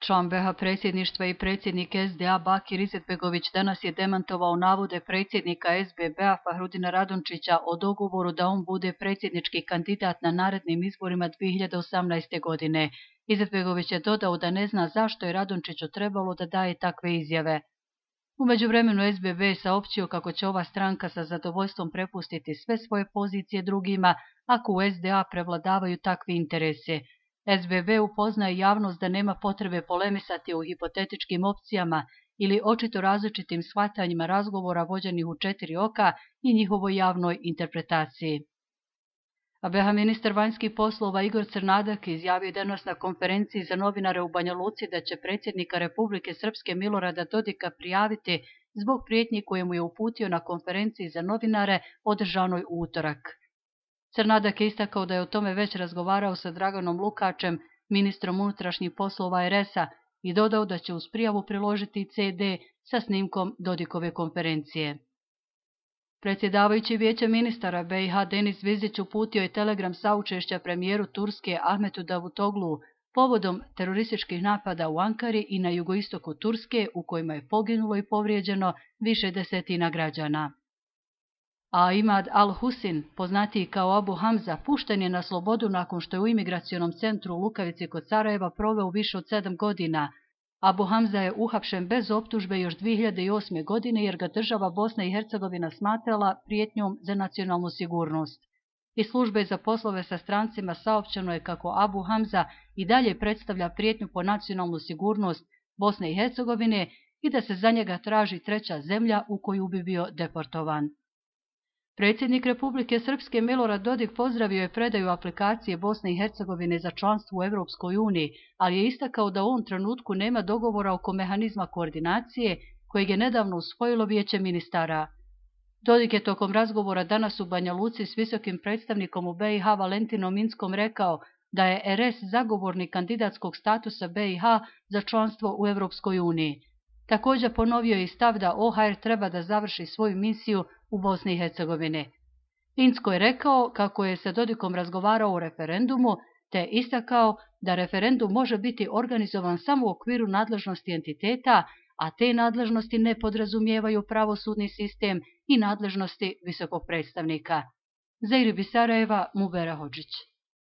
Član BiH predsjedništva i predsjednik SDA Bakir Izetbegović danas je demantovao navode predsjednika SBB-a Fahrudina Radončića o dogovoru da on bude predsjednički kandidat na narednim izborima 2018. godine. Izetbegović je dodao da ne zna zašto je Radončiću trebalo da daje takve izjave. U međuvremenu SBB je saopćio kako će ova stranka sa zadovoljstvom prepustiti sve svoje pozicije drugima ako u SDA prevladavaju takvi interesi. SBB upoznaje javnost da nema potrebe polemisati o hipotetičkim opcijama ili očito različitim shvatanjima razgovora vođenih u 4 oka i njihovoj javnoj interpretaciji. A BiH ministar vanjskih poslova Igor Crnadak izjavio danas na konferenciji za novinare u Banja Luci da će predsjednika Republike Srpske Milorada Dodika prijaviti zbog prijetnji koje mu je uputio na konferenciji za novinare održanoj u utorak. Crnadak je istakao da je o tome već razgovarao sa Draganom Lukačem, ministrom unutrašnjih poslova RS-a, i dodao da će uz prijavu priložiti CD sa snimkom Dodikove konferencije. Predsjedavajući Vijeća ministara BiH Denis Vizić uputio je telegram saučešća premijeru Turske Ahmetu Davutoglu povodom terorističkih napada u Ankari i na jugoistoku Turske u kojima je poginulo i povrijeđeno više desetina građana. A Imad al-Husin, poznatiji kao Abu Hamza, pušten je na slobodu nakon što je u imigracionom centru u Lukavici kod Sarajeva proveo više od 7 godina. Abu Hamza je uhapšen bez optužbe još 2008. godine jer ga država Bosna i Hercegovina smatrala prijetnjom za nacionalnu sigurnost. Iz službe za poslove sa strancima saopćeno je kako Abu Hamza i dalje predstavlja prijetnju po nacionalnu sigurnost Bosne i Hercegovine i da se za njega traži treća zemlja u koju bi bio deportovan. Predsjednik Republike Srpske Milorad Dodik pozdravio je predaju aplikacije Bosne i Hercegovine za članstvo u Europskoj uniji, ali je istakao da u ovom trenutku nema dogovora oko mehanizma koordinacije kojeg je nedavno usvojilo Vijeće ministara. Dodik je tokom razgovora danas u Banja Luci s visokim predstavnikom u BiH Valentinom Inckom rekao da je RS zagovornik kandidatskog statusa BiH za članstvo u Europskoj uniji. Također ponovio je i stav da OHR treba da završi svoju misiju u Bosni i Hercegovini. Incko je rekao kako je sa Dodikom razgovarao o referendumu, te istakao da referendum može biti organizovan samo u okviru nadležnosti entiteta, a te nadležnosti ne podrazumijevaju pravosudni sistem i nadležnosti visokog predstavnika. Za IRIB iz Sarajeva, Mubera Hodžić.